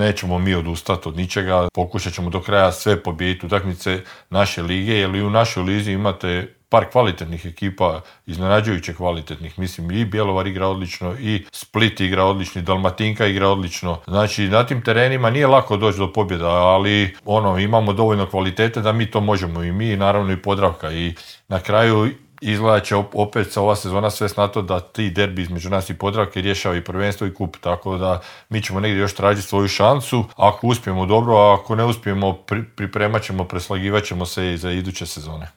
nećemo mi odustati od ničega, pokušat ćemo do kraja sve pobijediti utakmice naše lige, jer i u našoj lizi imate par kvalitetnih ekipa, iznenađujuće kvalitetnih. Mislim, i Bjelovar igra odlično, i Split igra odlično, i Dalmatinka igra odlično. Znači, na tim terenima nije lako doći do pobjeda, ali imamo dovoljno kvalitete da mi to možemo i mi, naravno i Podravka. I na kraju izgleda će opet ova sezona sve na to da ti derbi između nas i Podravke rješava i prvenstvo i kup, tako da mi ćemo negdje još tražiti svoju šansu. Ako uspijemo dobro, a ako ne uspijemo, pripremat ćemo, preslagivat ćemo se i za iduće sezone.